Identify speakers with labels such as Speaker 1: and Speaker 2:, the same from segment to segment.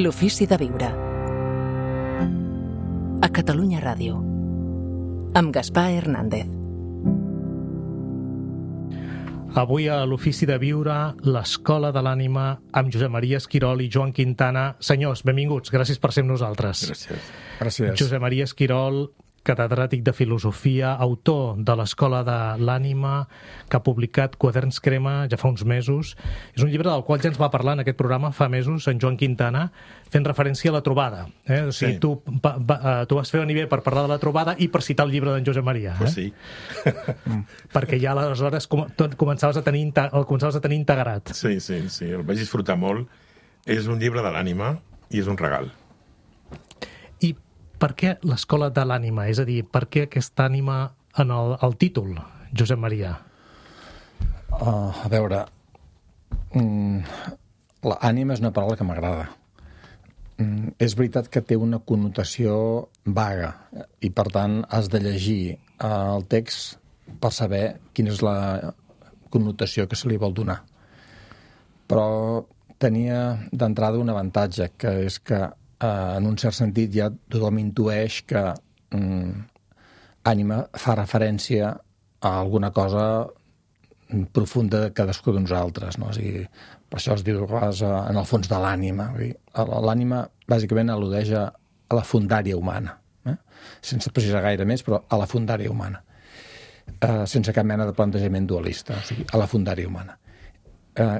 Speaker 1: L'ofici de viure. A Catalunya Ràdio. Amb Gaspar Hernández.
Speaker 2: Avui a l'Ofici de Viure, l'Escola de l'Ànima, amb Josep Maria Esquirol i Joan Quintana. Senyors, benvinguts, gràcies per ser amb nosaltres.
Speaker 3: Gràcies.
Speaker 2: Josep Maria Esquirol, catedràtic de Filosofia, autor de l'Escola de l'Ànima, que ha publicat Quaderns Crema ja fa uns mesos. És un llibre del qual ja ens va parlar en aquest programa fa mesos en Joan Quintana, fent referència a la trobada. O sigui,
Speaker 3: Sí.
Speaker 2: tu vas fer venir bé per parlar de la trobada i per citar el llibre d'en Josep Maria.
Speaker 3: Pues sí.
Speaker 2: Perquè ja aleshores començaves a tenir integrat.
Speaker 3: Sí, el vaig disfrutar molt. És un llibre de l'ànima i és un regal.
Speaker 2: I per què l'Escola de l'Ànima? És a dir, per què aquesta ànima en el títol, Josep Maria?
Speaker 4: A veure, l'ànima és una paraula que m'agrada. És veritat que té una connotació vaga i, per tant, has de llegir el text per saber quina és la connotació que se li vol donar. Però tenia d'entrada un avantatge, que és que en un cert sentit ja tothom intueix que ànima fa referència a alguna cosa profunda de cadascú de nosaltres, no? O sigui, per això es diu en el fons de l'ànima. L'ànima bàsicament al·ludeix a la fundària humana, sense precisar gaire més, però a la fundària humana, sense cap mena de plantejament dualista, o sigui, a la fundària humana.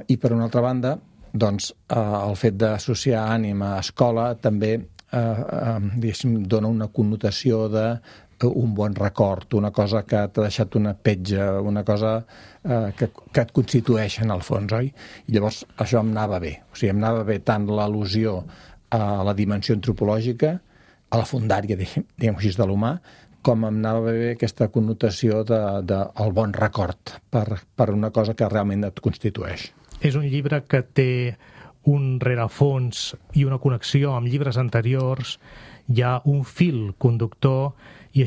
Speaker 4: I per una altra banda, doncs, el fet d'associar ànima a escola també dona una connotació d'un bon record, una cosa que t'ha deixat una petja, una cosa que et constitueix en el fons, oi? I llavors això em anava bé. O sigui, em anava bé tant l'al·lusió a la dimensió antropològica, a la fundària, diguem així, de l'humà, com em anava bé aquesta connotació del bon record per una cosa que realment et constitueix.
Speaker 2: És un llibre que té un rerefons i una connexió amb llibres anteriors, hi ha un fil conductor i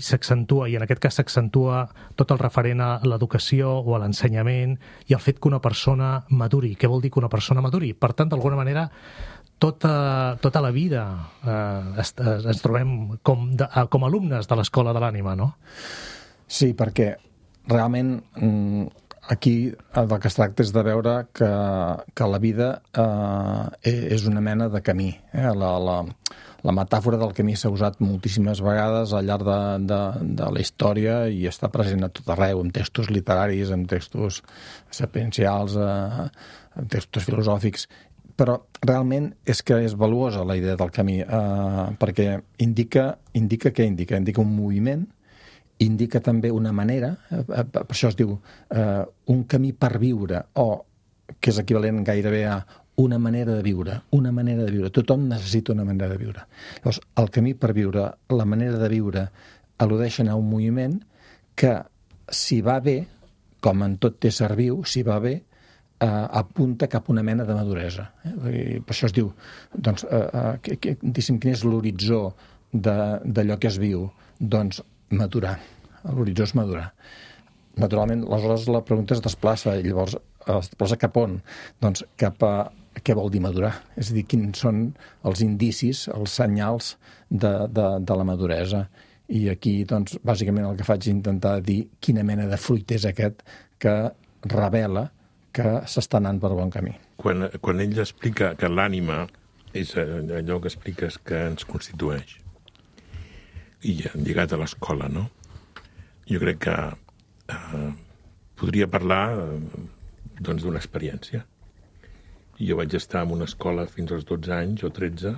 Speaker 2: s'accentua, i en aquest cas s'accentua tot el referent a l'educació o a l'ensenyament i el fet que una persona maduri. Què vol dir que una persona maduri? Per tant, d'alguna manera, tota la vida ens trobem com alumnes de l'Escola de l'Ànima, no?
Speaker 4: Sí, perquè realment aquí del que es tracta és de veure que la vida és una mena de camí. La metàfora del camí s'ha usat moltíssimes vegades al llarg de la història i està present a tot arreu, en textos literaris, en textos sapiencials, en textos filosòfics. Però realment és que és valuosa la idea del camí, perquè indica què indica? Indica un moviment, indica també una manera, per això es diu un camí per viure, o que és equivalent gairebé a una manera de viure, una manera de viure. Tothom necessita una manera de viure. Llavors, el camí per viure, la manera de viure, al·ludeixen a un moviment que, si va bé, com en tot ésser viu, si va bé, apunta cap a una mena de maduresa. Per això es diu, doncs, quin és l'horitzó d'allò que es viu? Doncs madurar. L'horitzó és madurar. Naturalment, aleshores la pregunta es desplaça, i llavors es desplaça cap on? Doncs cap a què vol dir madurar? És a dir, quins són els indicis, els senyals de la maduresa? I aquí, doncs, bàsicament el que faig és intentar dir quina mena de fruit és aquest que revela que s'està anant per bon camí.
Speaker 3: Quan ell explica que l'ànima és allò que expliques que ens constitueix, i lligat a l'escola, no? Jo crec que podria parlar doncs, d'una experiència. Jo vaig estar en una escola fins als 12 anys o 13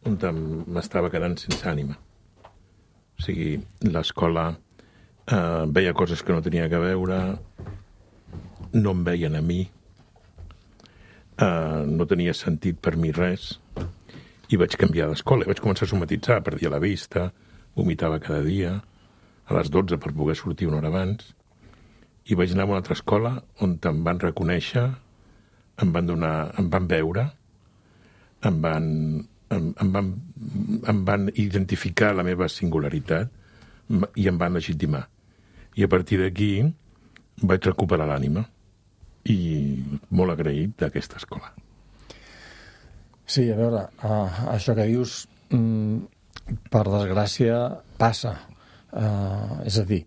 Speaker 3: on m'estava quedant sense ànima. O sigui, l'escola veia coses que no tenia que veure, no em veien a mi, no tenia sentit per mi res, i vaig canviar d'escola. Vaig començar a somatitzar, perdia la vista, vomitava cada dia, a les 12 per poder sortir una hora abans, i vaig anar a una altra escola on em van reconèixer, em van veure, em van identificar la meva singularitat i em van legitimar. I a partir d'aquí vaig recuperar l'ànima i molt agraït d'aquesta escola.
Speaker 4: Sí, a veure, això que dius, per desgràcia, passa. És a dir,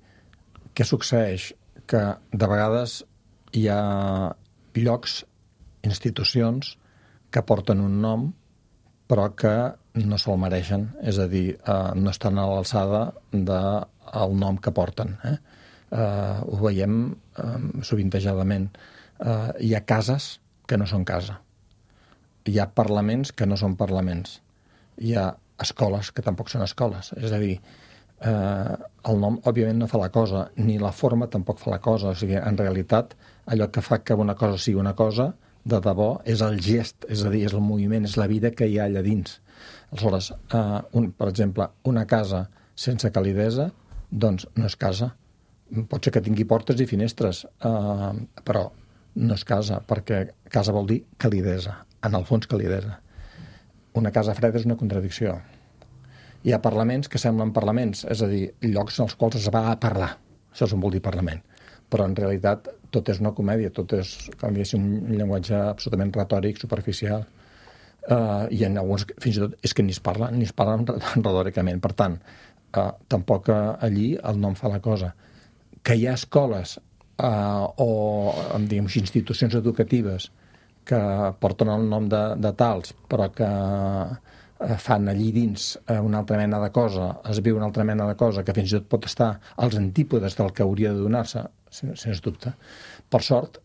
Speaker 4: què succeeix? Que de vegades hi ha llocs, institucions, que porten un nom, però que no se'l mereixen. És a dir, no estan a l'alçada del nom que porten. Ho veiem sovintejadament. Hi ha cases que no són casa. Hi ha parlaments que no són parlaments. Hi ha escoles que tampoc són escoles. És a dir, el nom, òbviament, no fa la cosa, ni la forma tampoc fa la cosa. O sigui, en realitat, allò que fa que una cosa sigui una cosa, de debò, és el gest, és a dir, és el moviment, és la vida que hi ha allà dins. Aleshores, per exemple, una casa sense calidesa, doncs no és casa. Pot ser que tingui portes i finestres, però no és casa, perquè casa vol dir calidesa, en el fons calidesa. Una casa freda és una contradicció. Hi ha parlaments que semblen parlaments, és a dir, llocs en els quals es va a parlar. Això és on vol dir parlament. Però en realitat tot és una comèdia, tot és, com diguéssim, un llenguatge absolutament retòric, superficial, i en alguns, fins i tot, és que ni es parlen retòricament. Per tant, tampoc allí el nom fa la cosa. Que hi ha escoles o, diguem, institucions educatives que porten el nom de tals, però que fan allí dins una altra mena de cosa, es viu una altra mena de cosa, que fins i tot pot estar als antípodes del que hauria de donar-se, sens dubte. Per sort,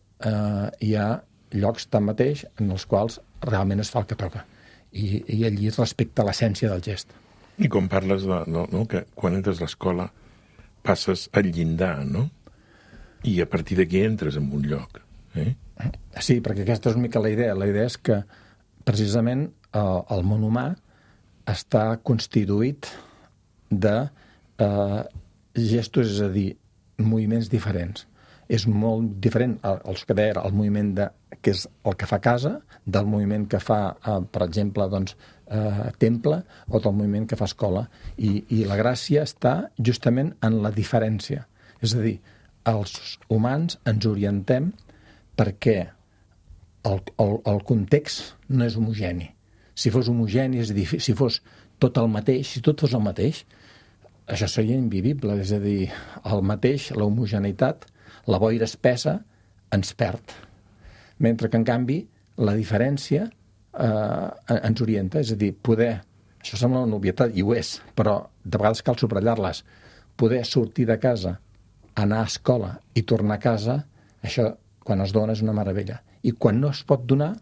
Speaker 4: hi ha llocs tanmateix en els quals realment es fa el que toca. I allí es respecta l'essència del gest.
Speaker 3: I com parles que quan entres a l'escola passes al llindar, no? I a partir d'aquí entres en un lloc.
Speaker 4: Sí, perquè aquesta és una mica la idea. La idea és que precisament el món humà està constituït de gestos, és a dir, moviments diferents. És molt diferent els que deia el moviment que és el que fa casa, del moviment que fa, per exemple, doncs, temple, o del moviment que fa escola. I la gràcia està justament en la diferència. És a dir, els humans ens orientem perquè el context no és homogeni. Si fos homogeni, és a dir, si fos tot el mateix, si tot fos el mateix, això seria invivible. És a dir, el mateix, la homogeneïtat, la boira espessa, ens perd. Mentre que, en canvi, la diferència ens orienta. És a dir, poder, això sembla una obvietat, i ho és, però de vegades cal subratllar-les, poder sortir de casa, anar a escola i tornar a casa, això, quan es dona, és una meravella. I quan no es pot donar,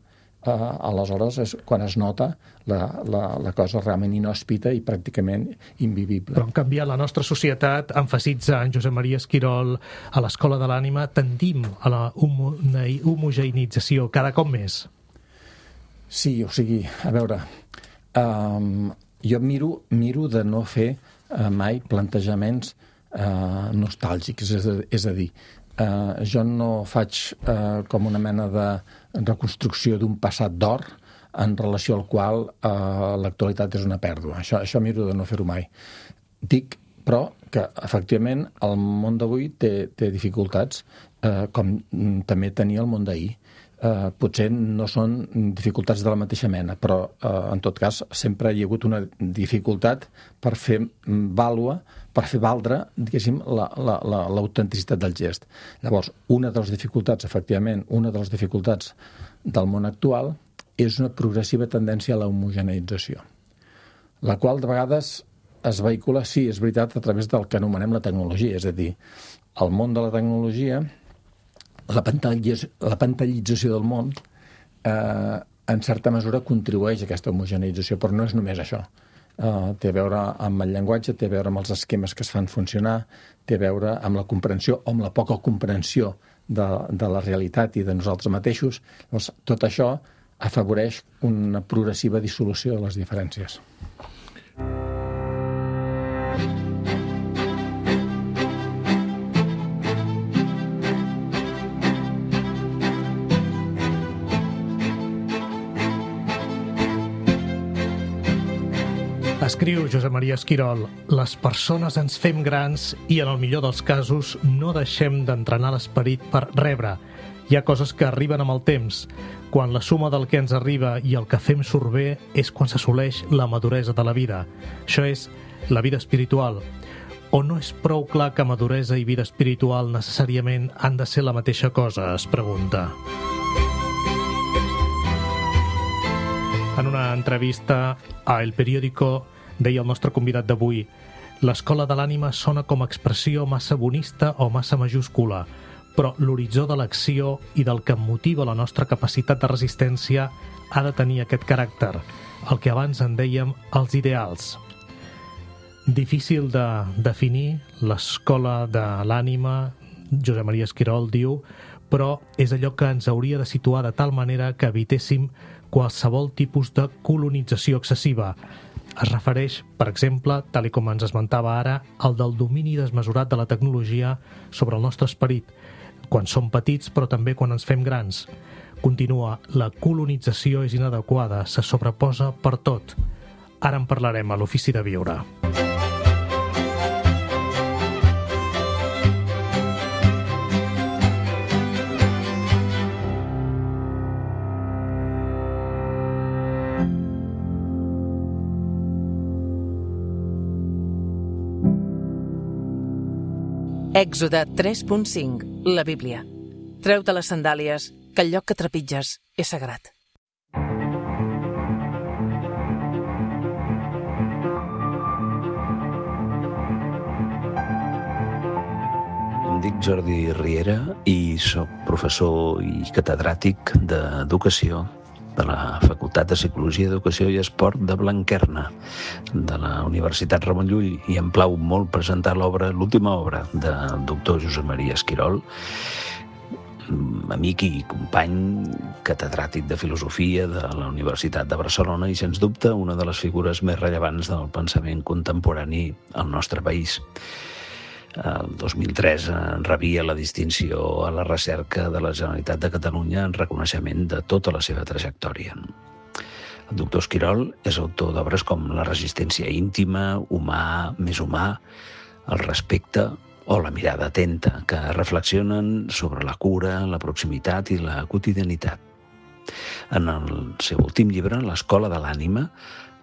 Speaker 4: aleshores és quan es nota la cosa realment inhòspita i pràcticament invivible.
Speaker 2: Però, en canvi, a la nostra societat, emfasitza en Josep Maria Esquirol, a l'Escola de l'Ànima, tendim a la homogeneïtzació cada cop més.
Speaker 4: Sí, o sigui, a veure, jo miro de no fer mai plantejaments nostàlgics, és a dir, jo no faig com una mena de reconstrucció d'un passat d'or en relació al qual l'actualitat és una pèrdua. Això miro de no fer-ho mai. Dic, però, que efectivament el món d'avui té dificultats, com també tenia el món d'ahir. Potser no són dificultats de la mateixa mena, però en tot cas sempre hi ha hagut una dificultat per fer valdre, diguéssim, l'autenticitat del gest. Llavors, una de les dificultats, efectivament, una de les dificultats del món actual és una progressiva tendència a la homogeneïtzació, la qual de vegades es vehicula, sí, és veritat, a través del que anomenem la tecnologia, és a dir, el món de la tecnologia, la pantallització del món, en certa mesura contribueix a aquesta homogeneïtzació, però no és només això. Té a veure amb el llenguatge, té a veure amb els esquemes que es fan funcionar, té a veure amb la comprensió o amb la poca comprensió de la realitat i de nosaltres mateixos. Llavors, tot això afavoreix una progressiva dissolució de les diferències.
Speaker 2: Escriu Josep Maria Esquirol: les persones ens fem grans i, en el millor dels casos, no deixem d'entrenar l'esperit per rebre. Hi ha coses que arriben amb el temps. Quan la suma del que ens arriba i el que fem surt bé és quan s'assoleix la maduresa de la vida. Això és la vida espiritual. O no és prou clar que maduresa i vida espiritual necessàriament han de ser la mateixa cosa, es pregunta. En una entrevista a El Periódico deia el nostre convidat d'avui: l'escola de l'ànima sona com a expressió massa bonista o massa majúscula, però l'horitzó de l'acció i del que motiva la nostra capacitat de resistència ha de tenir aquest caràcter, el que abans en dèiem els ideals. Difícil de definir l'escola de l'ànima, Josep Maria Esquirol diu, però és allò que ens hauria de situar de tal manera que evitéssim qualsevol tipus de colonització excessiva. Es refereix, per exemple, tal com ens esmentava ara, al del domini desmesurat de la tecnologia sobre el nostre esperit, quan som petits però també quan ens fem grans. Continua, la colonització és inadequada, se sobreposa per tot. Ara en parlarem a l'Ofici de Viure.
Speaker 1: Èxode 3.5, la Bíblia. Treu-te les sandàlies, que el lloc que trepitges és sagrat.
Speaker 5: Em dic Jordi Riera i soc professor i catedràtic d'Educació de la Facultat de Psicologia, Educació i Esport de Blanquerna, de la Universitat Ramon Llull, i em plau molt presentar l'última obra del doctor Josep Maria Esquirol, amic i company catedràtic de Filosofia de la Universitat de Barcelona i, sens dubte, una de les figures més rellevants del pensament contemporani al nostre país. El 2003 rebia la distinció a la recerca de la Generalitat de Catalunya en reconeixement de tota la seva trajectòria. El doctor Esquirol és autor d'obres com La resistència íntima, Humà, més humà, El respecte o La mirada atenta, que reflexionen sobre la cura, la proximitat i la quotidianitat. En el seu últim llibre, L'escola de l'ànima,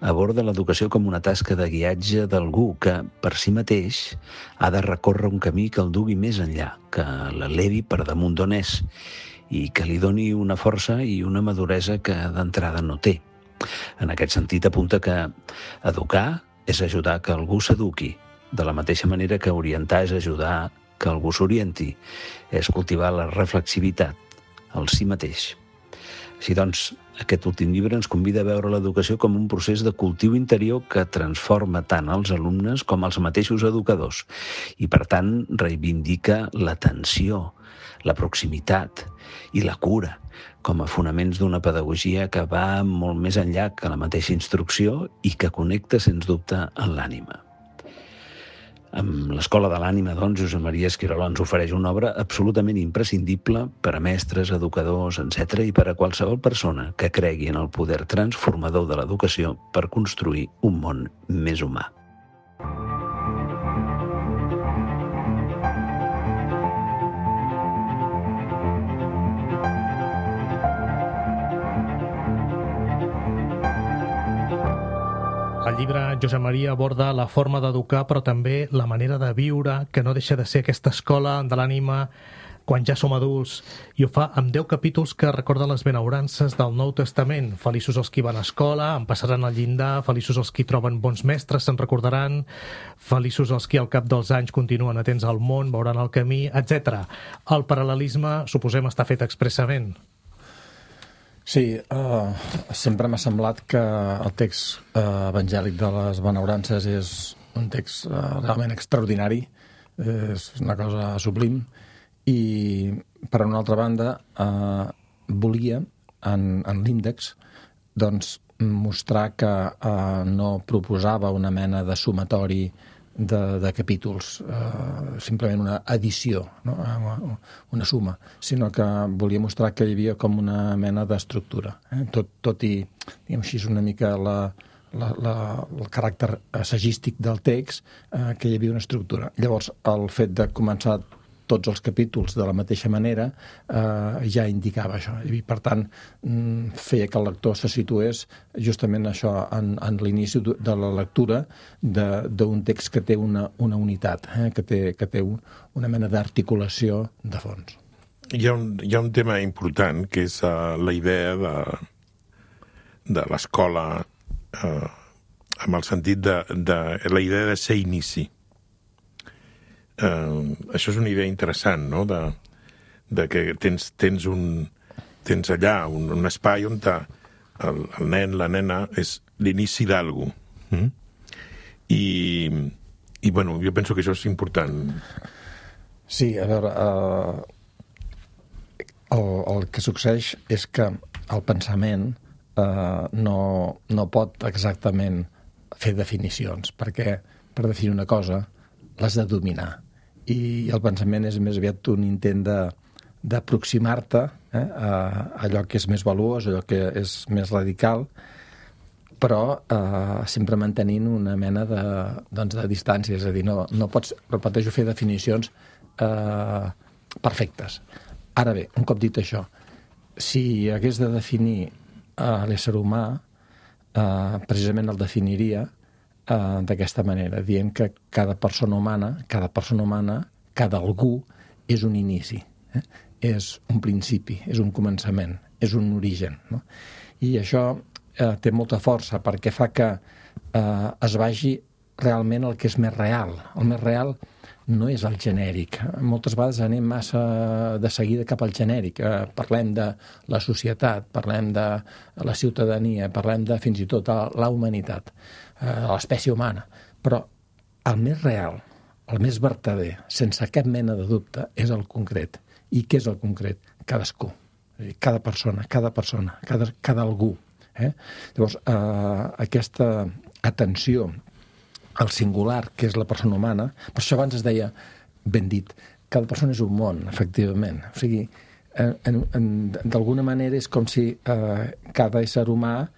Speaker 5: aborda l'educació com una tasca de guiatge d'algú que, per si mateix, ha de recórrer un camí que el dugui més enllà, que l'elevi per damunt d'on és i que li doni una força i una maduresa que d'entrada no té. En aquest sentit, apunta que educar és ajudar que algú s'eduqui, de la mateixa manera que orientar és ajudar que algú s'orienti, és cultivar la reflexivitat, el si mateix. Així doncs, aquest últim llibre ens convida a veure l'educació com un procés de cultiu interior que transforma tant els alumnes com els mateixos educadors i, per tant, reivindica l'atenció, la proximitat i la cura com a fonaments d'una pedagogia que va molt més enllà que la mateixa instrucció i que connecta, sens dubte, amb l'ànima. Amb l'Escola de l'Ànima, doncs, Josep Maria Esquirol ens ofereix una obra absolutament imprescindible per a mestres, educadors, etc. i per a qualsevol persona que cregui en el poder transformador de l'educació per construir un món més humà.
Speaker 2: El llibre Josep Maria aborda la forma d'educar, però també la manera de viure, que no deixa de ser aquesta escola de l'ànima quan ja som adults, i ho fa amb 10 capítols que recorden les benaurances del Nou Testament. Feliços els qui van a escola, en passaran al llindar, feliços els qui troben bons mestres, se'n recordaran, feliços els qui al cap dels anys continuen atents al món, veuran el camí, etc. El paral·lelisme, suposem, està fet expressament.
Speaker 4: Sí, sempre m'ha semblat que el text evangèlic de les benaurances és un text realment extraordinari, és una cosa sublim, i per una altra banda volia en l'índex doncs, mostrar que no proposava una mena de sumatori de capítols, simplement una addició, no? Una suma, sinó que volia mostrar que hi havia com una mena d'estructura. Tot i, diguem així, una mica el caràcter assagístic del text, que hi havia una estructura. Llavors, el fet de començar tots els capítols de la mateixa manera, ja indicava això. I, per tant, feia que el lector se situés justament això en l'inici de la lectura d'un text que té una unitat, que té una mena d'articulació de fons.
Speaker 3: Hi ha un tema important, que és la idea de l'escola, amb el sentit de la idea de ser inici. Això és una idea interessant, no?, de que tens allà un espai on el nen, la nena, és l'inici d'algú. I bueno, jo penso que això és important.
Speaker 4: Sí, a veure, el que succeeix és que el pensament no pot exactament fer definicions, perquè per definir una cosa l'has de dominar. I el pensament és més aviat un intent d'aproximar-te a allò que és més valuós, allò que és més radical, però sempre mantenint una mena de distància. És a dir, no pots, repeteixo, fer definicions perfectes. Ara bé, un cop dit això, si hagués de definir l'ésser humà, precisament el definiria d'aquesta manera, dient que cada persona humana, cada algú, és un inici, és un principi, és un començament, és un origen, no? I això té molta força perquè fa que es vagi realment el que és més real. El més real no és el genèric. Moltes vegades anem massa de seguida cap al genèric. Parlem de la societat, parlem de la ciutadania, parlem de fins i tot la humanitat, l'espècie humana. Però el més real, el més vertader, sense cap mena de dubte, és el concret. I què és el concret? Cadascú. Cada persona, cada algú. Llavors, aquesta atenció al singular, que és la persona humana, per això abans es deia, ben dit, cada persona és un món, efectivament. O sigui, d'alguna manera és com si cada ésser humà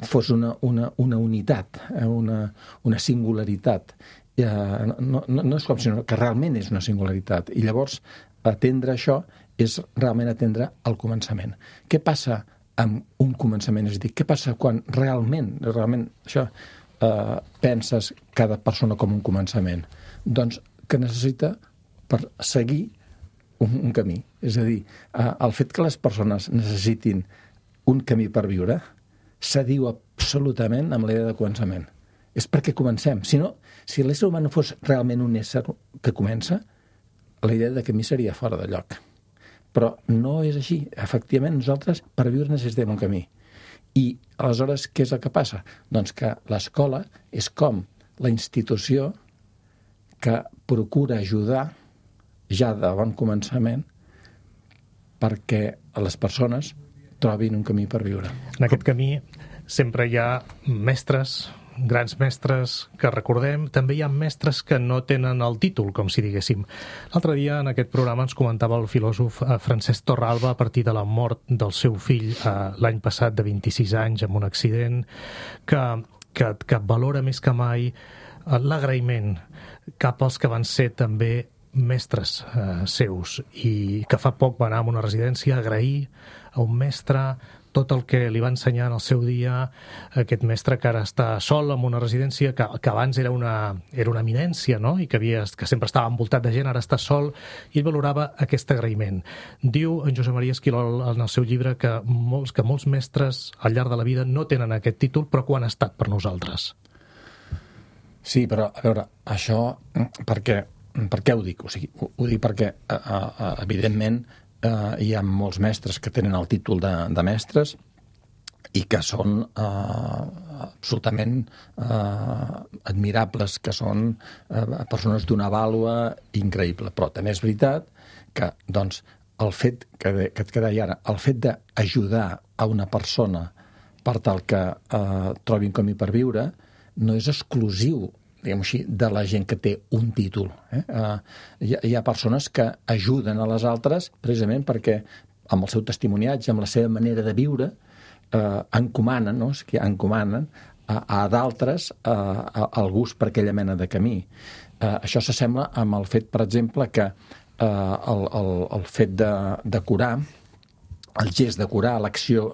Speaker 4: fos una unitat, una singularitat. No és com si que realment és una singularitat. I llavors, atendre això és realment atendre el començament. Què passa amb un començament? És a dir, què passa quan realment això, penses cada persona com un començament? Doncs que necessita per seguir un camí. És a dir, el fet que les persones necessitin un camí per viure s'adiu absolutament amb la idea de començament. És perquè comencem. Si l'ésser humà no fos realment un ésser que comença, la idea de camí seria fora de lloc. Però no és així. Efectivament, nosaltres per viure necessitem un camí. I aleshores, què és el que passa? Doncs que l'escola és com la institució que procura ajudar ja de bon començament perquè les persones trobin un camí per viure.
Speaker 2: En aquest camí sempre hi ha mestres, grans mestres que recordem. També hi ha mestres que no tenen el títol, com si diguéssim. L'altre dia en aquest programa ens comentava el filòsof Francesc Torralba a partir de la mort del seu fill l'any passat de 26 anys amb un accident que valora més que mai l'agraïment cap als que van ser també mestres seus i que fa poc va anar a una residència a agrair a un mestre tot el que li va ensenyar en el seu dia, aquest mestre que ara està sol en una residència, que abans era una eminència, no? I que sempre estava envoltat de gent, ara està sol, i ell valorava aquest agraïment. Diu en Josep Maria Esquirol en el seu llibre que molts mestres al llarg de la vida no tenen aquest títol, però que ho han estat per nosaltres.
Speaker 4: Sí, però a veure, això per què ho dic? O sigui, ho dic perquè evidentment hi ha molts mestres que tenen el títol de mestres i que són absolutament admirables, que són persones d'una vàlua increïble. Però també és veritat que doncs, el fet que et deia ara, el fet d'ajudar a una persona per tal que trobi un camí per viure no és exclusiu, diguem així, de la gent que té un títol. Hi ha persones que ajuden a les altres precisament perquè amb el seu testimoniatge, amb la seva manera de viure, encomanen a d'altres el gust per aquella mena de camí. Això s'assembla amb el fet, per exemple, que el fet de curar, el gest de curar, l'acció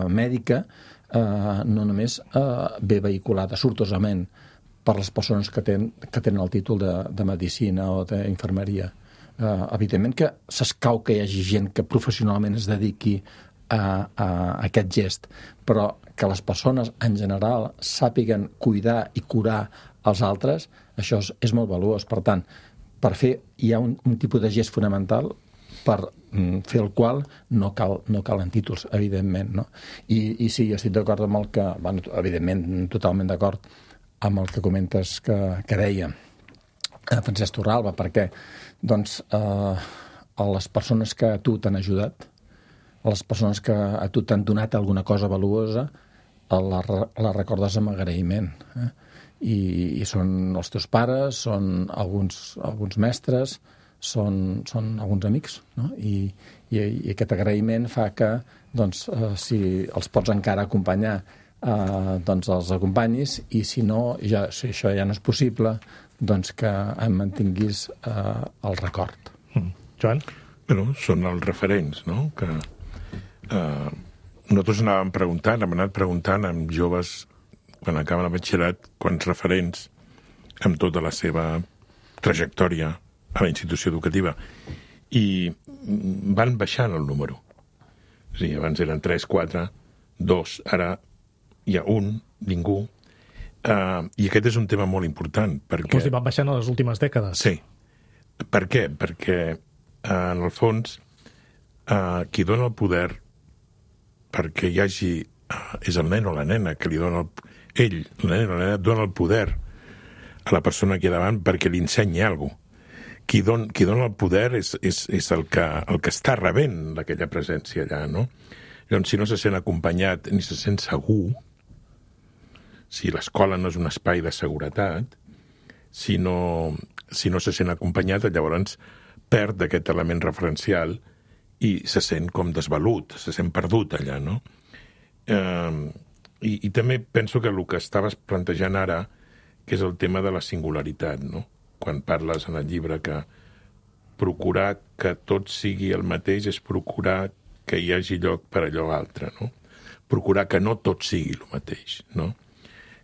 Speaker 4: mèdica, no només ve vehiculada sortosament per les persones que tenen el títol de medicina o d'infermeria. Evidentment que s'escau que hi hagi gent que professionalment es dediqui a aquest gest, però que les persones en general sàpiguen cuidar i curar els altres, això és molt valuós. Per tant, per fer hi ha un tipus de gest fonamental per fer el qual no calen títols, evidentment, no? I sí, jo estic d'acord amb el que, evidentment, totalment d'acord amb el que comentes que deia Francesc Torralba, perquè doncs, a les persones que a tu t'han ajudat, a les persones que a tu t'han donat alguna cosa valuosa, la recordes amb agraïment. I són els teus pares, són alguns mestres, són alguns amics, no? I aquest agraïment fa que, doncs, si els pots encara acompanyar, doncs els acompanyis, i si això ja no és possible, doncs que en mantinguis el record.
Speaker 2: Joan?
Speaker 3: Bueno, són els referents, no? Que nosaltres hem anat preguntant amb joves quan acaben el batxillerat, quants referents amb tota la seva trajectòria a la institució educativa. I van baixant el número. És a dir, abans eren 3, 4, 2, ara hi ha un, ningú. I aquest és un tema molt important. Perquè...
Speaker 2: Vols dir, van baixant a les últimes dècades?
Speaker 3: Sí. Per què? Perquè, en el fons, qui dona el poder perquè hi hagi... és el nen o la nena que li dona el nena dona el poder a la persona que hi ha davant perquè li ensenyi alguna cosa. Qui dona el poder és el que està rebent aquella presència allà, no? Llavors, si no se sent acompanyat ni se sent segur, si l'escola no és un espai de seguretat, si no se sent acompanyat, llavors perd aquest element referencial i se sent com desvalut, se sent perdut allà, no? I també penso que el que estaves plantejant ara, que és el tema de la singularitat, no? Quan parles en el llibre que procurar que tot sigui el mateix és procurar que hi hagi lloc per allò altre, no? Procurar que no tot sigui el mateix, no?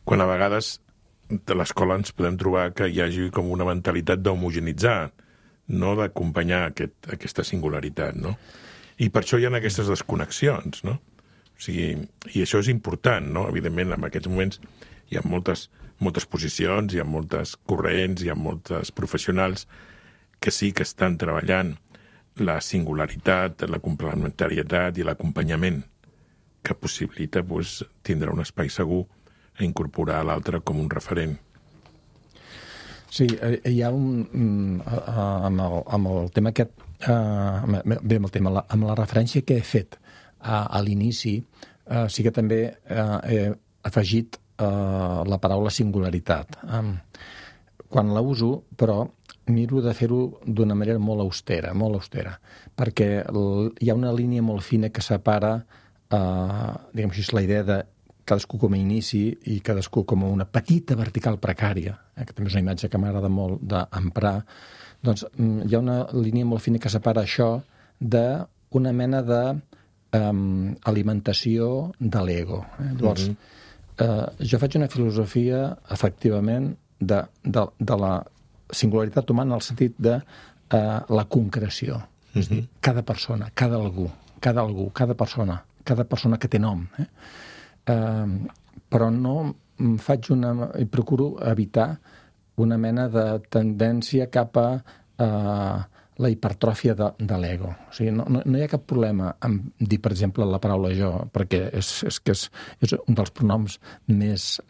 Speaker 3: Quan a vegades de l'escola ens podem trobar que hi hagi com una mentalitat d'homogenitzar, no d'acompanyar aquesta singularitat, no? I per això hi ha aquestes desconnexions, no? O sigui, i això és important, no? Evidentment, en aquests moments hi ha moltes posicions, hi ha moltes corrents, hi ha moltes professionals que sí que estan treballant la singularitat, la complementarietat i l'acompanyament que possibilita tindre un espai segur a incorporar l'altre com un referent.
Speaker 4: Sí, hi ha amb el tema aquest, amb la referència que he fet a l'inici, sí que també he afegit la paraula singularitat. Quan la uso, però, miro de fer-ho d'una manera molt austera, perquè hi ha una línia molt fina que separa, diguem així, la idea de cadascú com a inici i cadascú com a una petita vertical precària, que també és una imatge que m'agrada molt d'emprar. Doncs hi ha una línia molt fina que separa això d'una mena d'alimentació de l'ego. Llavors, jo faig una filosofia, efectivament, de la singularitat humana en el sentit de la concreció. És a dir, cada persona, cada algú, cada persona que té nom. Però no faig i procuro evitar una mena de tendència cap a la hipertròfia de l'ego. O sigui, no hi ha cap problema en dir, per exemple, la paraula jo, perquè és un dels pronoms més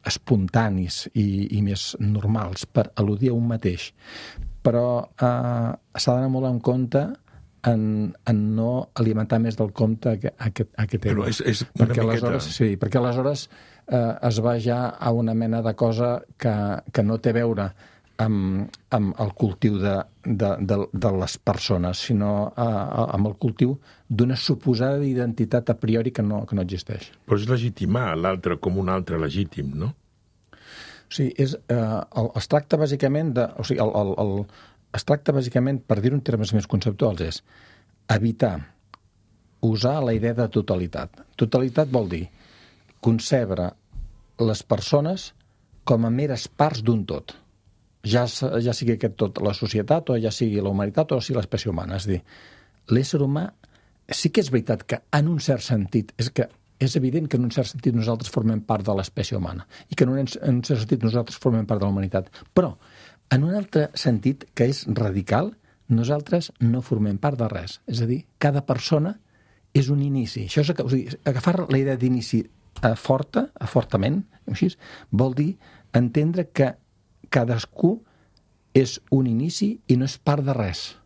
Speaker 4: espontanis i més normals per al·ludir a un mateix. Però s'ha d'anar molt en compte en no alimentar més del compte aquest ego.
Speaker 3: Però és una miqueta...
Speaker 4: Sí, perquè aleshores es va ja a una mena de cosa que no té a veure amb el cultiu de les persones, sinó amb el cultiu d'una suposada identitat a priori que no existeix.
Speaker 3: Però és legitimar l'altre com un altre legítim, no?
Speaker 4: sigui, es tracta bàsicament es tracta bàsicament, per dir-ho en termes més conceptuals, és evitar usar la idea de totalitat. Totalitat vol dir concebre les persones com a meres parts d'un tot. Ja sigui aquest tot la societat, o ja sigui la humanitat, o sigui l'espècie humana. És a dir, l'ésser humà sí que és veritat que en un cert sentit, és evident que en un cert sentit nosaltres formem part de l'espècie humana i que en un cert sentit nosaltres formem part de la humanitat. Però, en un altre sentit, que és radical, nosaltres no formem part de res. És a dir, cada persona és un inici. Això és, agafar la idea d'inici fortament, així, vol dir entendre que cadascú és un inici i no és part de res.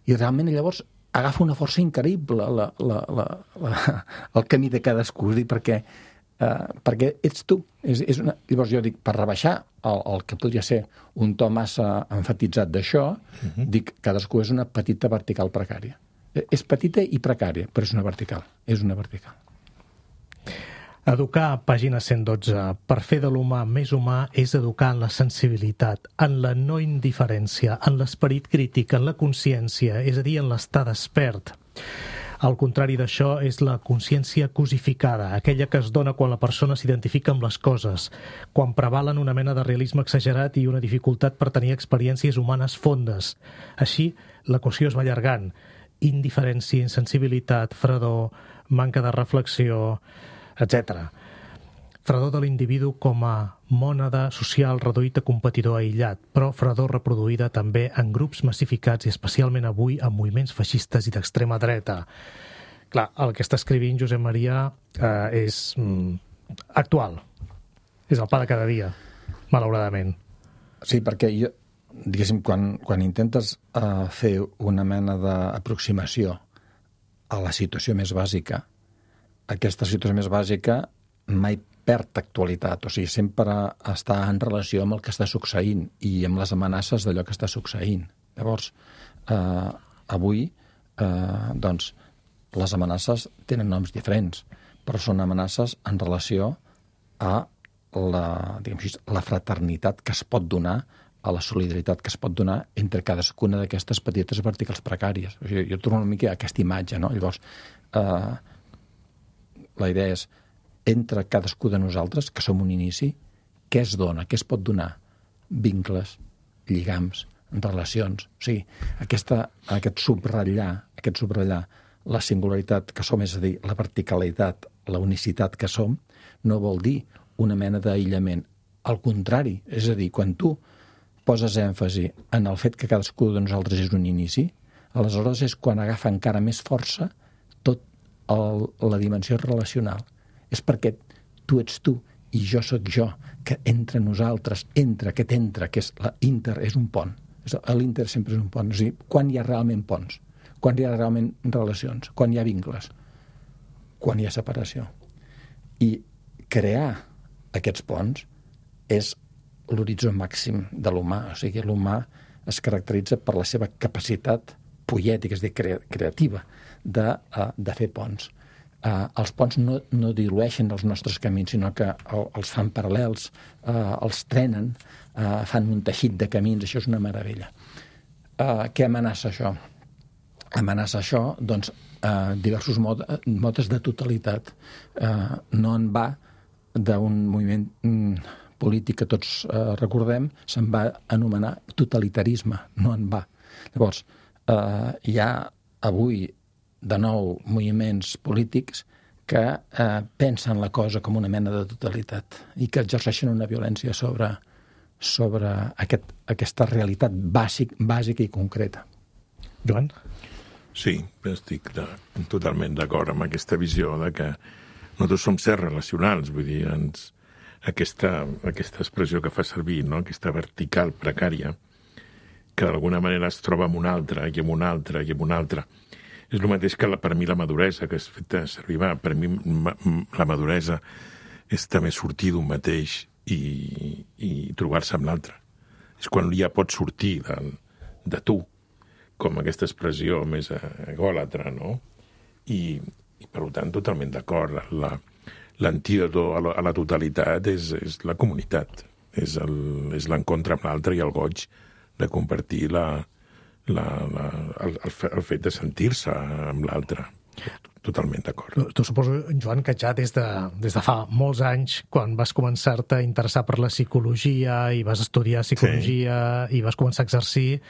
Speaker 4: I realment llavors agafa una força increïble el camí de cadascú, és a dir, perquè ets tu. Llavors jo dic, per rebaixar el que podria ser un to massa enfatitzat d'això, dic, cadascú és una petita vertical precària. És petita i precària, però és una vertical. És una vertical.
Speaker 2: Educar, pàgina 112, per fer de l'humà més humà és educar en la sensibilitat, en la no indiferència, en l'esperit crític, en la consciència, és a dir, en l'estar despert. El contrari d'això és la consciència cosificada, aquella que es dona quan la persona s'identifica amb les coses, quan prevalen una mena de realisme exagerat i una dificultat per tenir experiències humanes fondes. Així, l'equació es va allargant. Indiferència, insensibilitat, fredor, manca de reflexió, etc. Fredor de l'individu com a mònada social reduït a competidor aïllat, però fredor reproduïda també en grups massificats i especialment avui en moviments feixistes i d'extrema dreta. Clar, el que està escrivint Josep Maria és actual. És el pa de cada dia, malauradament.
Speaker 4: Sí, perquè jo, diguéssim, quan intentes fer una mena d'aproximació a la situació més bàsica, aquesta situació més bàsica mai perd actualitat, o sigui, sempre està en relació amb el que està succeint i amb les amenaces d'allò que està succeint. Llavors, avui, doncs, les amenaces tenen noms diferents, però són amenaces en relació a la fraternitat que es pot donar, a la solidaritat que es pot donar entre cadascuna d'aquestes petites verticals precàries. O sigui, jo torno una mica a aquesta imatge, no? Llavors, la idea és, entre cadascú de nosaltres, que som un inici, què es dona, què es pot donar? Vincles, lligams, relacions. O sigui, aquest subratllar la singularitat que som, és a dir, la verticalitat, la unicitat que som, no vol dir una mena d'aïllament. Al contrari, és a dir, quan tu poses èmfasi en el fet que cadascú de nosaltres és un inici, aleshores és quan agafa encara més força tot la dimensió relacional. És perquè tu ets tu i jo sóc jo, que entre nosaltres, aquest entre, que és l'inter, és un pont. L'inter sempre és un pont. És a dir, quan hi ha realment ponts, quan hi ha realment relacions, quan hi ha vincles, quan hi ha separació. I crear aquests ponts és l'horitzó màxim de l'humà. O sigui, l'humà es caracteritza per la seva capacitat poètica, és a dir, creativa, de fer ponts. Els ponts no dilueixen els nostres camins, sinó que els fan paral·lels, els trenen, fan un teixit de camins. Això és una meravella. Què amenaça això? Amenaça això, doncs, diversos modes de totalitat. No en va d'un moviment polític que tots recordem, se'n va anomenar totalitarisme, no en va. Llavors, hi ha avui de nou moviments polítics que pensen la cosa com una mena de totalitat i que exerceixen una violència sobre aquesta realitat bàsica i concreta.
Speaker 2: Joan?
Speaker 3: Sí, estic totalment d'acord amb aquesta visió de que nosaltres som sers relacionals, vull dir, aquesta expressió que fa servir, no? Aquesta vertical precària, que d'alguna manera es troba amb una altra, i amb una altra, i amb una altra. És el mateix que per mi la maduresa, que has fet servir. Per mi la maduresa és també sortir d'un mateix i trobar-se amb l'altre. És quan ja pots sortir de tu, com aquesta expressió més egòlatra, no? I per tant, totalment d'acord. L'antídot a la totalitat és la comunitat. És l'encontre amb l'altre i el goig de compartir el fet de sentir-se amb l'altre. Totalment d'acord.
Speaker 2: Tu suposo, Joan, que ja des de fa molts anys, quan vas començar-te a interessar per la psicologia i vas estudiar psicologia i vas començar a exercir,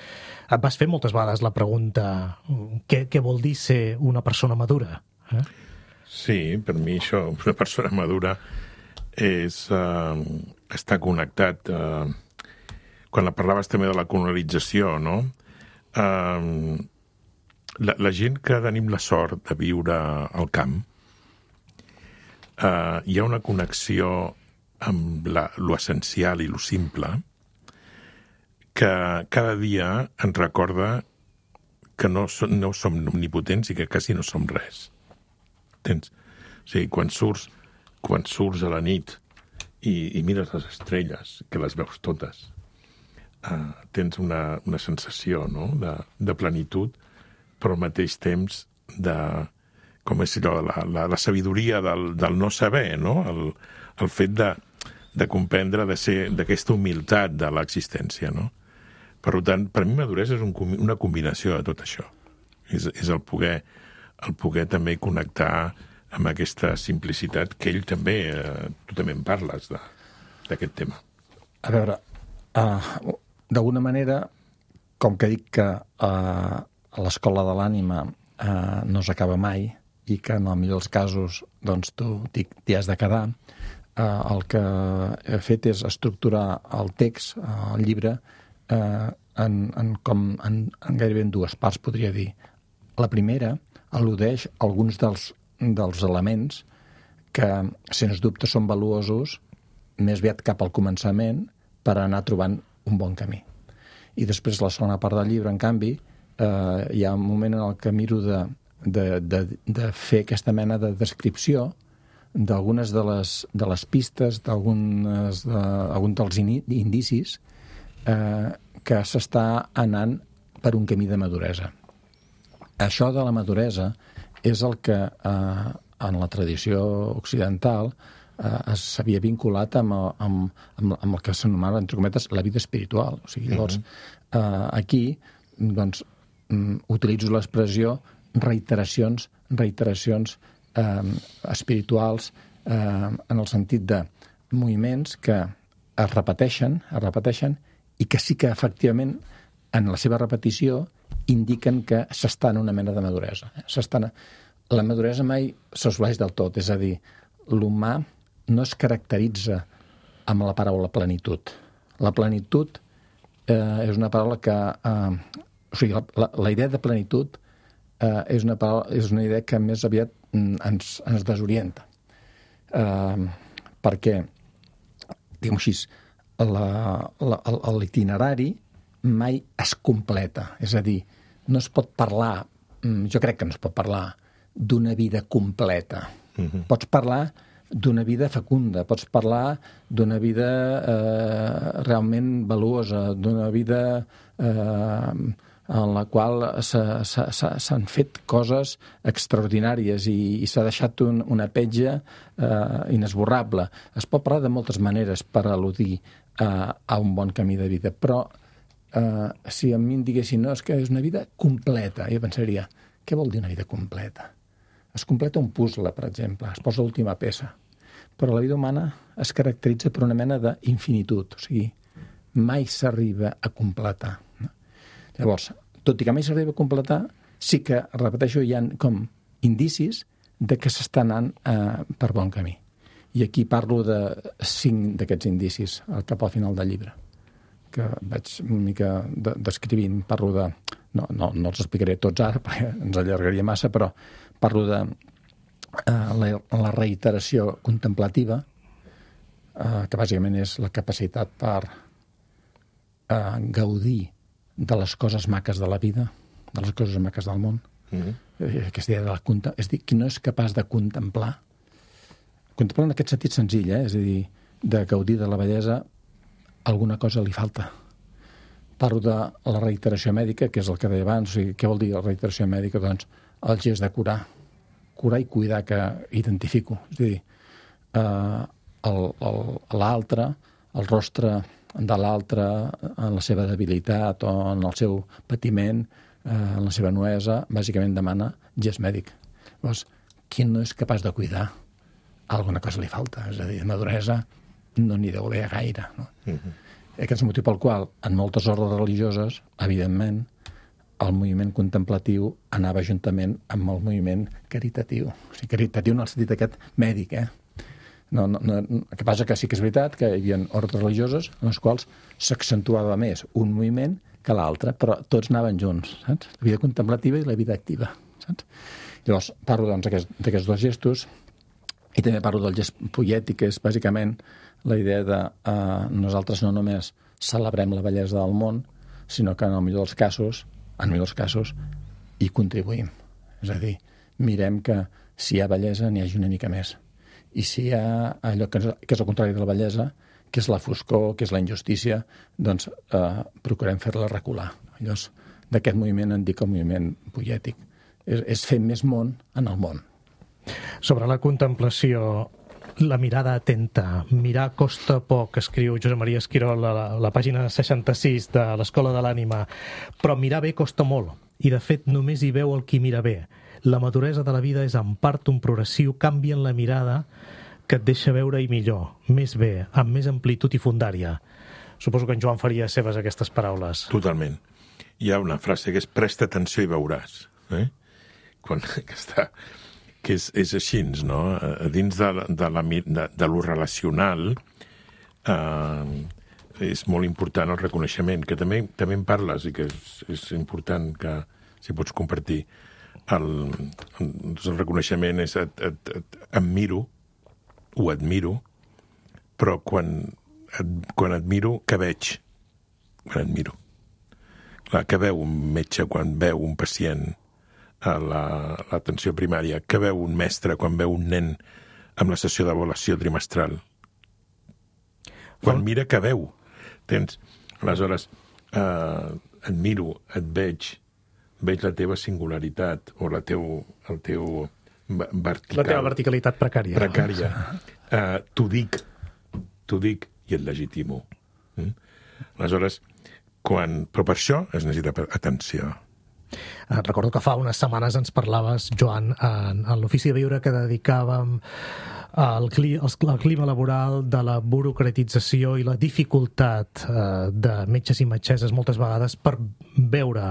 Speaker 2: et vas fer moltes vegades la pregunta què vol dir ser una persona madura?
Speaker 3: Sí, per mi això, una persona madura és estar connectat. Quan parlaves també de la colonització, no? La gent que tenim la sort de viure al camp, hi ha una connexió amb lo essencial i lo simple que cada dia ens recorda que no som omnipotents i que quasi no som res. Entens? O sigui, quan surts a la nit i mires les estrelles, que les veus totes, tens una sensació, no?, de plenitud, però al mateix temps com és allò, la sabidoria del no saber, no? El fet de comprendre, de ser d'aquesta humilitat de l'existència, no? Per tant, per mi maduresa és una combinació de tot això. És el poder també connectar amb aquesta simplicitat que ell també, tu també en parles d'aquest tema.
Speaker 4: A veure, d'alguna manera, com que dic que a l'escola de l'ànima no s'acaba mai i que en el millor dels casos doncs, tu t'hi has de quedar, el que he fet és estructurar el text, el llibre, en gairebé en dues parts, podria dir. La primera al·ludeix alguns dels elements que, sens dubte, són valuosos més aviat cap al començament per anar trobant un bon camí. I després, la segona part del llibre, en canvi, hi ha un moment en el que miro de fer aquesta mena de descripció d'algunes de les pistes, d'alguns dels indicis que s'està anant per un camí de maduresa. Això de la maduresa és el que en la tradició occidental s'havia vinculat amb el que s'anomena, entre cometes, la vida espiritual. O sigui, llavors, aquí, doncs, utilitzo l'expressió reiteracions espirituals en el sentit de moviments que es repeteixen i que sí que, efectivament, en la seva repetició indiquen que s'està en una mena de maduresa. La maduresa mai s'assoleix del tot, és a dir, l'humà no es caracteritza amb la paraula plenitud. La plenitud és una paraula que... O sigui, la idea de plenitud és una idea que més aviat ens desorienta. Perquè, diguem-ho així, l'itinerari mai es completa. És a dir, no es pot parlar, jo crec que no es pot parlar d'una vida completa. Pots parlar d'una vida fecunda, pots parlar d'una vida realment valuosa, d'una vida en la qual s'han fet coses extraordinàries i s'ha deixat una petja inesborrable. Es pot parlar de moltes maneres per al·ludir a un bon camí de vida, però si a mi em diguessin no, és que és una vida completa, jo pensaria, què vol dir una vida completa? Es completa un puzzle, per exemple, es posa l'última peça, però la vida humana es caracteritza per una mena d'infinitud, o sigui, mai s'arriba a completar. Llavors, tot i que mai s'arriba a completar, sí que, repeteixo, hi ha com indicis de que s'està anant per bon camí. I aquí parlo de 5 d'aquests indicis cap al final del llibre, que vaig una mica descrivint. Parlo de... No els explicaré tots ara, perquè ens allargaria massa, però parlo de la reiteració contemplativa, que bàsicament és la capacitat per gaudir de les coses maques de la vida, de les coses maques del món. Aquesta idea és dir, qui no és capaç de contemplar en aquest sentit senzill, és a dir, de gaudir de la bellesa, alguna cosa li falta. Parlo de la reiteració mèdica, que és el que deia abans. O sigui, què vol dir la reiteració mèdica? Doncs el gest de curar i cuidar, que identifico. És a dir, l'altre, el rostre de l'altre en la seva debilitat o en el seu patiment, en la seva nuesa, bàsicament demana gest mèdic. Llavors, qui no és capaç de cuidar, alguna cosa li falta. És a dir, maduresa no n'hi deu haver gaire. No? Aquest és el motiu pel qual, en moltes ordres religioses, evidentment, el moviment contemplatiu anava juntament amb el moviment caritatiu. O sigui, caritatiu en el sentit aquest mèdic, el que passa que sí que és veritat que hi havia ordres religioses en les quals s'accentuava més un moviment que l'altre, però tots anaven junts, saps? La vida contemplativa i la vida activa, saps? Llavors, parlo doncs, d'aquests dos gestos i també parlo del gest poètic, que és bàsicament la idea de nosaltres no només celebrem la bellesa del món, sinó que en el millor dels casos, hi contribuïm. És a dir, mirem que si hi ha bellesa n'hi hagi una mica més. I si hi ha allò que és el contrari de la bellesa, que és la foscor, que és la injustícia, doncs procurem fer-la recular. Llavors, d'aquest moviment en dic el moviment poètic. És fer més món en el món.
Speaker 2: Sobre la contemplació, la mirada atenta, mirar costa poc, escriu Josep Maria Esquirol a la pàgina 66 de l'Escola de l'Ànima, però mirar bé costa molt, i de fet només hi veu el qui mira bé. La maduresa de la vida és en part un progressiu canvi en la mirada que et deixa veure-hi millor, més bé, amb més amplitud i fundària. Suposo que en Joan faria seves aquestes paraules.
Speaker 3: Totalment. Hi ha una frase que és presta atenció i veuràs. Que és així, no? Dins de lo relacional és molt important el reconeixement, que també en parles i que és important que si pots compartir. El reconeixement és em miro, ho admiro, però quan admiro, què veig? Quan admiro. Clar, què veu un metge quan veu un pacient a l'atenció primària? Què veu un mestre quan veu un nen amb la sessió d'avaluació trimestral? Quan mira, què veu? Aleshores, admiro, et veig la teva singularitat o el teu vertical.
Speaker 2: La teva verticalitat precària.
Speaker 3: Precària. T'ho dic i et legitimo. Aleshores, però per això es necessita atenció.
Speaker 2: Recordo que fa unes setmanes ens parlaves, Joan, en l'ofici de viure que dedicàvem al clima laboral, de la burocratització i la dificultat de metges i metgesses moltes vegades per veure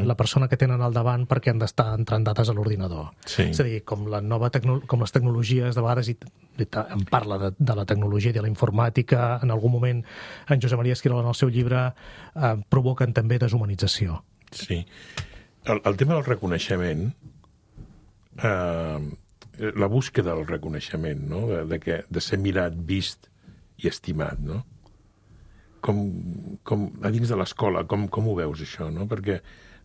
Speaker 2: la persona que tenen al davant perquè han d'estar entrant dades a l'ordinador.
Speaker 3: Sí.
Speaker 2: És a dir, com les tecnologies, de vegades en parla de la tecnologia i de la informàtica, en algun moment en Josep Maria Esquirol en el seu llibre provoquen també deshumanització.
Speaker 3: Sí. El tema del reconeixement, la búsqueda del reconeixement, no? de ser mirat, vist i estimat, no? Com a dins de l'escola, com ho veus, això, no? Perquè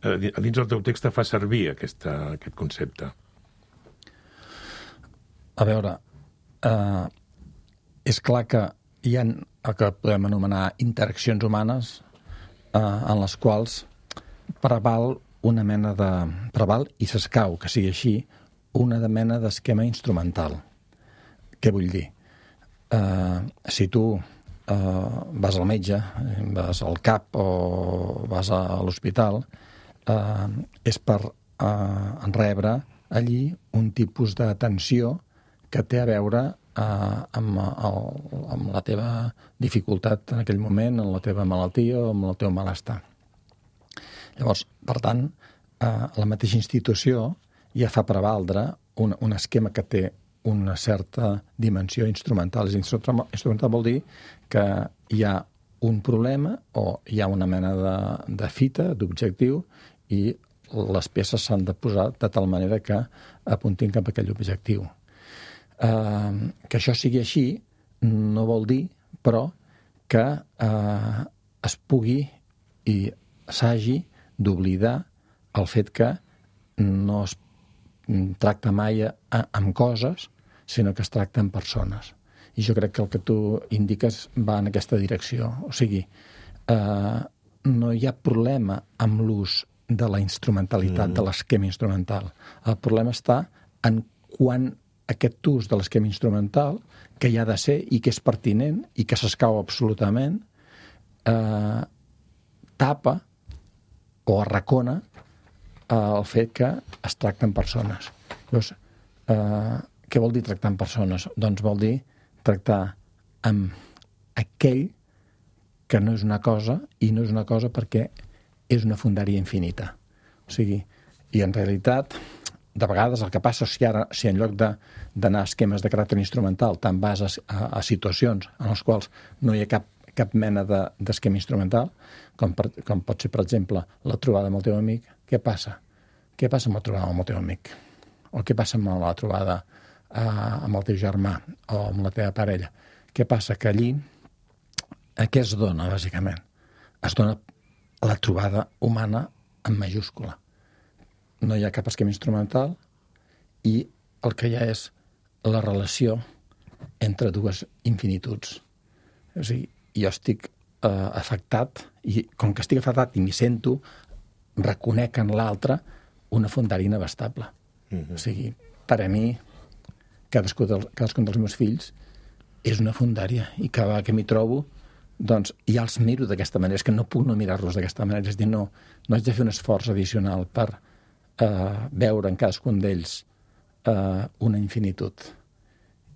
Speaker 3: a dins del teu text fa servir aquest concepte.
Speaker 4: A veure, és clar que hi ha el que podem anomenar interaccions humanes en les quals preval una mena de... preval i s'escau, que sigui així, una mena d'esquema instrumental. Què vull dir? Si tu vas al metge, vas al CAP o vas a l'hospital, és per rebre allí un tipus d'atenció que té a veure amb la teva dificultat en aquell moment, en la teva malaltia o amb el teu malestar. Llavors, per tant, la mateixa institució ja fa prevaldre un esquema que té una certa dimensió instrumental. Instrumental vol dir que hi ha un problema o hi ha una mena de fita, d'objectiu, i les peces s'han de posar de tal manera que apuntin cap a aquell objectiu. Que això sigui així no vol dir, però, que es pugui i s'hagi d'oblidar el fet que no es tracta mai amb coses, sinó que es tracta amb persones. I jo crec que el que tu indiques va en aquesta direcció. O sigui, no hi ha problema amb l'ús de la instrumentalitat, de l'esquema instrumental. El problema està en quan aquest ús de l'esquema instrumental, que hi ha de ser i que és pertinent i que s'escau absolutament, tapa o arracona el fet que es tracten persones. Llavors, què vol dir tractar amb persones? Doncs vol dir tractar amb aquell que no és una cosa, i no és una cosa perquè és una fondària infinita. O sigui, i en realitat, de vegades el que passa si en lloc d'anar a esquemes de caràcter instrumental te'n vas a situacions en les quals no hi ha cap mena d'esquema instrumental, com pot ser, per exemple, la trobada amb el teu amic, què passa? Què passa amb la trobada amb el teu amic? O què passa amb la trobada amb el teu germà o amb la teva parella? Què passa? Que allí, què es dona, bàsicament? Es dona la trobada humana en majúscula. No hi ha cap esquema instrumental i el que hi ha és la relació entre dues infinituds. O sigui, jo estic afectat, i com que estic afectat i m'hi sento, reconec en l'altre una fondària inabastable. O sigui, per a mi, cadascun dels meus fills és una fondària, i cada vegada que m'hi trobo, doncs ja els miro d'aquesta manera. És que no puc no mirar-los d'aquesta manera. És dir, no haig de fer un esforç addicional per veure en cadascun d'ells una infinitud.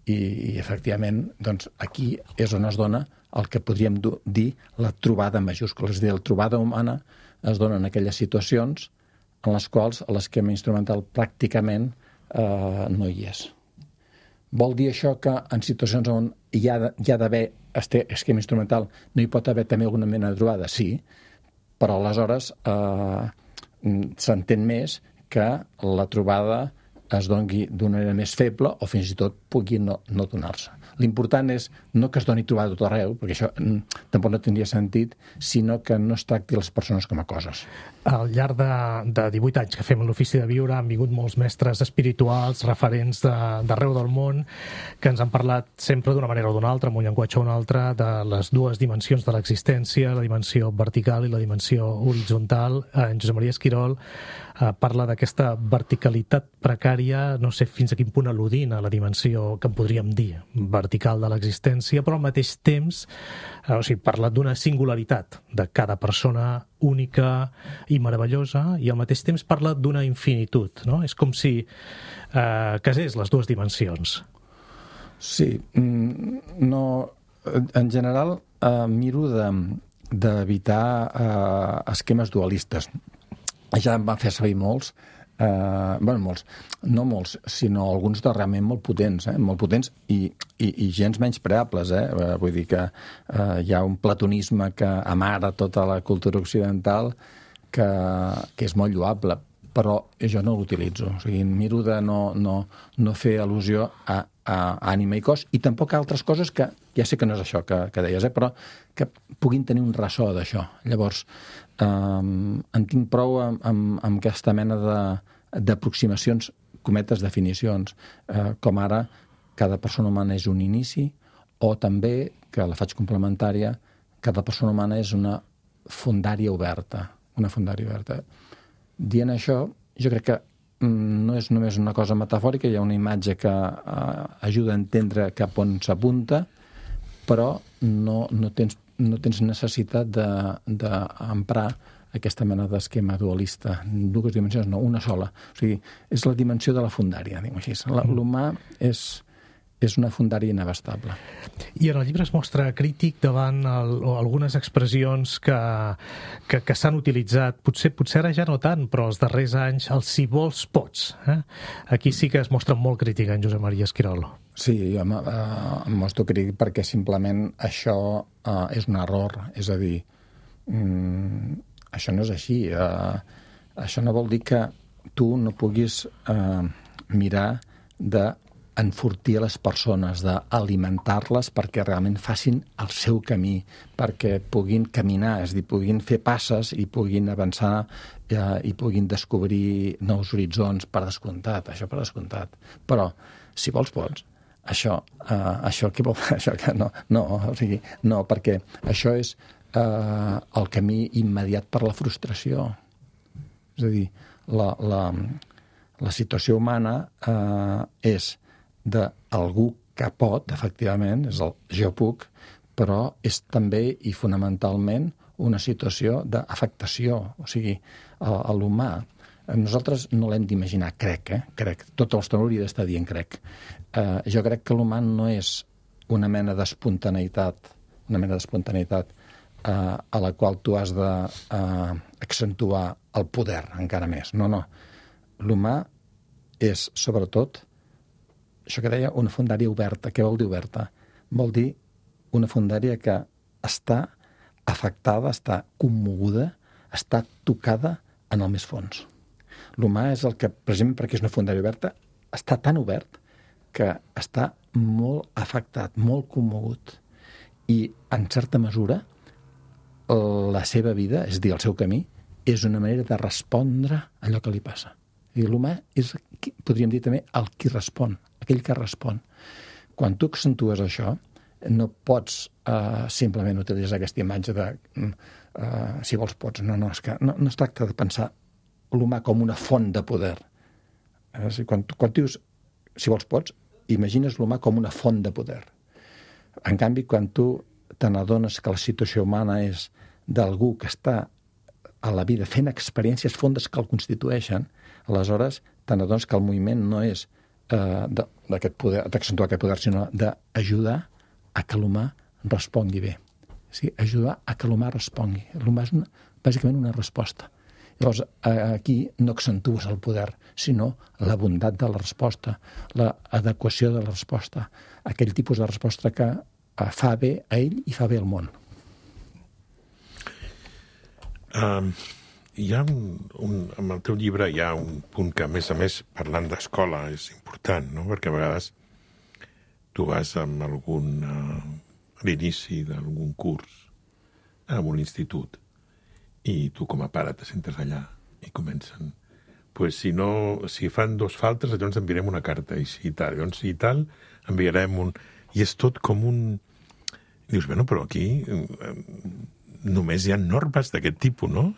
Speaker 4: I efectivament, doncs, aquí és on es dona el que podríem dir la trobada en majúscules. És a dir, la trobada humana es dona en aquelles situacions en les quals l'esquema instrumental pràcticament no hi és. Vol dir això que en situacions on hi ha d'haver esquema instrumental no hi pot haver també alguna mena de trobada? Sí, però aleshores s'entén més que la trobada es doni d'una manera més feble o fins i tot pugui no donar-se. L'important és no que es doni trobada tot arreu, perquè això tampoc no tindria sentit, sinó que no es tracti les persones com a coses.
Speaker 2: Al llarg de 18 anys que fem l'Ofici de Viure han vingut molts mestres espirituals, referents d'arreu del món, que ens han parlat sempre d'una manera o d'una altra, amb un llenguatge o un altre, de les dues dimensions de l'existència, la dimensió vertical i la dimensió horitzontal. En Josep Maria Esquirol parla d'aquesta verticalitat precària, no sé fins a quin punt al·ludint a la dimensió que en podríem dir vertical de l'existència, però al mateix temps parla d'una singularitat de cada persona única i meravellosa, i al mateix temps parla d'una infinitud, no? És com si casés les dues dimensions.
Speaker 4: Sí, no, en general miro d'evitar esquemes dualistes. Ja em van fer servir molts, no molts, sinó alguns de realment molt potents i gens menyspreables. Vull dir que hi ha un platonisme que amara tota la cultura occidental que és molt lloable, però jo no l'utilitzo. O sigui, miro de no fer al·lusió a ànima i cos, i tampoc a altres coses que ja sé que no és això que deies, però que puguin tenir un ressò d'això. Llavors, en tinc prou amb aquesta mena d'aproximacions, cometes definicions, com ara cada persona humana és un inici, o també, que la faig complementària, cada persona humana és una fondària oberta. Una fondària oberta. Dient això, jo crec que no és només una cosa metafòrica, hi ha una imatge que ajuda a entendre cap on s'apunta, però no tens necessitat d'emprar aquesta mena d'esquema dualista. Dues dimensions, no, una sola. O sigui, és la dimensió de la fondària, diguem així. L'humà és una fondària inabastable.
Speaker 2: I en el llibre es mostra crític davant algunes expressions que s'han utilitzat, potser ara ja no tant, però els darrers anys, el si vols pots. Aquí sí que es mostra molt crític en Josep Maria Esquirol.
Speaker 4: Sí, jo em mostro crític perquè simplement això és un error. És a dir, això no és així. Això no vol dir que tu no puguis mirar d'enfortir les persones, d'alimentar-les perquè realment facin el seu camí, perquè puguin caminar, és a dir, puguin fer passes i puguin avançar i puguin descobrir nous horitzons, per descomptat, això per descomptat. Però, si vols, pots. Això què vol? Això que no, o sigui, no, perquè això és el camí immediat per la frustració. És a dir, la situació humana és d'algú que pot, efectivament, és el jo puc, però és també i fonamentalment una situació d'afectació. O sigui, a l'humà, nosaltres no l'hem d'imaginar, crec. Tota l'estona hauria d'estar dient crec. Jo crec que l'humà no és una mena d'espontaneïtat, a la qual tu has d'accentuar el poder encara més. No. L'humà és, sobretot, això que deia, una fondària oberta. Què vol dir oberta? Vol dir una fondària que està afectada, està commoguda, està tocada en el més fons. L'humà és el que, precisament perquè és una fondària oberta, està tan obert que està molt afectat, molt commogut. I, en certa mesura, la seva vida, és a dir, el seu camí, és una manera de respondre a allò que li passa. I l'humà és, podríem dir també, el qui respon, aquell que respon. Quan tu accentues això, no pots simplement utilitzar aquesta imatge de si vols pots. No, és que no es tracta de pensar l'humà com una font de poder. Quan dius si vols pots, imagines l'humà com una font de poder. En canvi, quan tu te n'adones que la situació humana és d'algú que està a la vida fent experiències fondes que el constitueixen, aleshores te n'adones que el moviment no és d'aquest poder, d'accentuar aquest poder, sinó d'ajudar a que l'humà respongui bé. Sí, ajudar a que l'humà respongui. L'humà és bàsicament una resposta. Llavors, aquí no accentues el poder, sinó la bondat de la resposta, l'adequació de la resposta, aquell tipus de resposta que fa bé a ell i fa bé al món.
Speaker 3: Hi ha en el teu llibre hi ha un punt que, a més, parlant d'escola és important, no? Perquè a vegades tu vas amb a l'inici d'algun curs en un institut i tu com a pare te sentes allà i comencen si fan 2 faltes, llavors enviarem una carta i si tal, enviarem un... I és tot com un... I dius, bueno, però aquí només hi ha normes d'aquest tipus, no?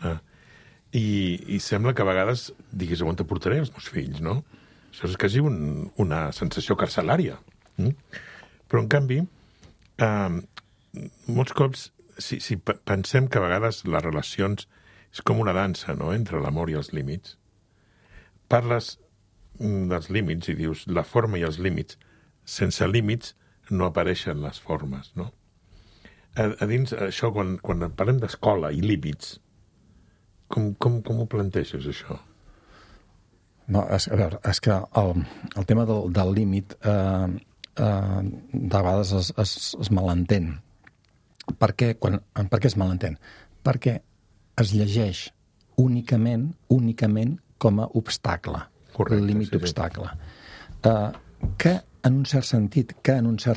Speaker 3: I sembla que a vegades diguis, on te portaré els meus fills, no? Això és quasi una sensació carcelària. Però, en canvi, molts cops, si pensem que a vegades les relacions és com una dansa, no?, entre l'amor i els límits, parles dels límits i dius la forma i els límits. Sense límits no apareixen les formes, no? A dins això, quan parlem d'escola i límits, com ho planteges, això?
Speaker 4: No, a veure, és que el tema del límit de vegades es malentén. Per què es malentén? Perquè es llegeix únicament com a obstacle.
Speaker 3: Correcte,
Speaker 4: el límit obstacle. Que en un cert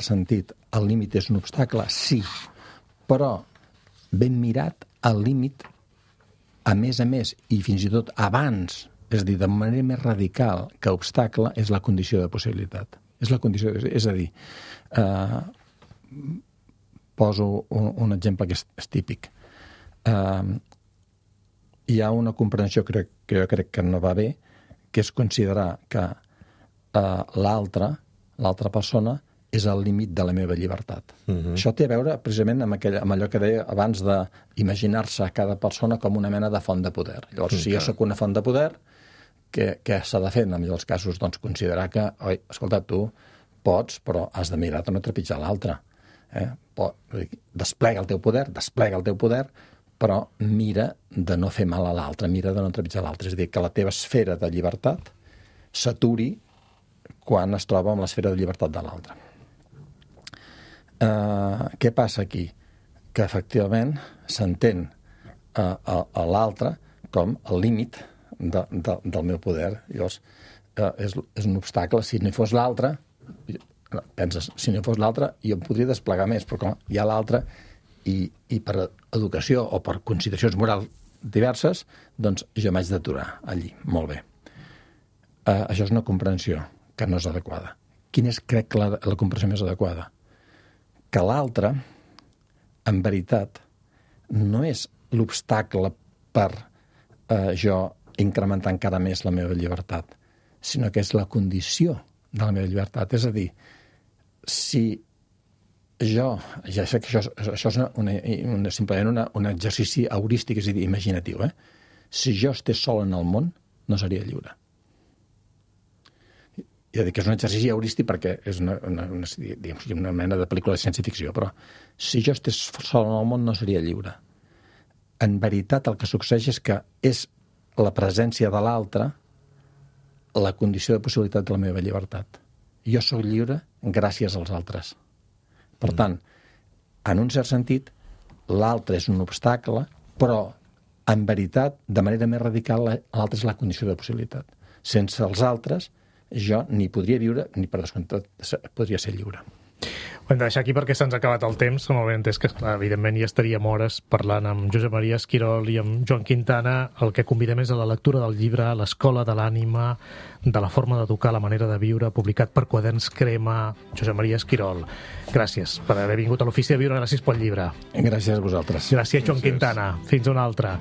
Speaker 4: sentit el límit és un obstacle, sí, però ben mirat el límit, a més, i fins i tot abans, és a dir, de manera més radical que obstacle, és la condició de possibilitat. És a dir, poso un exemple que és típic. Hi ha una comprensió que jo crec que no va bé, que és considerar que l'altra persona és el límit de la meva llibertat. Això té a veure precisament amb allò que deia abans d'imaginar-se cada persona com una mena de font de poder. Llavors, si jo sóc una font de poder, què s'ha de fer en millors casos? Doncs considerar que, escolta, tu pots, però has de mirar de no trepitjar l'altre. Desplega el teu poder, però mira de no fer mal a l'altre, mira de no trepitjar l'altre. És a dir, que la teva esfera de llibertat s'aturi quan es troba amb l'esfera de llibertat de l'altre. Què passa aquí? Que efectivament s'entén a l'altre com el límit del meu poder. Llavors, és un obstacle. Si no hi fos l'altre, penses, si no hi fos l'altre, jo em podria desplegar més, però com hi ha l'altre, i per educació o per consideracions morals diverses, doncs jo m'haig d'aturar allí. Molt bé. Això és una comprensió que no és adequada. Quina és, crec, que la comprensió més adequada? Que l'altre, en veritat, no és l'obstacle per jo incrementar encara més la meva llibertat, sinó que és la condició de la meva llibertat. És a dir, si jo, ja sé que això és simplement un exercici heurístic, és a dir, imaginatiu, si jo estés sol en el món, no seria lliure. Ja dic que és un exercici heurístic perquè és una mena de pel·lícula de ciència-ficció, però si jo estés sol en el món, no seria lliure. En veritat, el que succeeix és que és la presència de l'altre la condició de possibilitat de la meva llibertat. Jo sóc lliure gràcies als altres. Per tant, en un cert sentit, l'altre és un obstacle, però, en veritat, de manera més radical, l'altre és la condició de possibilitat. Sense els altres, jo ni podria viure, ni per descomptat podria ser lliure.
Speaker 2: Ho hem de deixar aquí perquè se'ns ha acabat el temps. Som ben entès que, evidentment, ja estaríem hores parlant amb Josep Maria Esquirol i amb Joan Quintana. El que convidem és a la lectura del llibre L'Escola de l'Ànima, de la forma d'educar, la manera de viure, publicat per Quaderns Crema. Josep Maria Esquirol, gràcies per haver vingut a l'Ofici de Viure. Gràcies pel llibre.
Speaker 4: Gràcies a vosaltres.
Speaker 2: Gràcies, Joan Quintana. Fins una altra.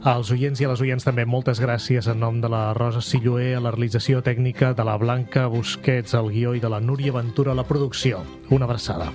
Speaker 2: Als oients i a les oients també moltes gràcies en nom de la Rosa Silloé a la realització tècnica, de la Blanca Busquets al guió i de la Núria Ventura a la producció. Una abraçada.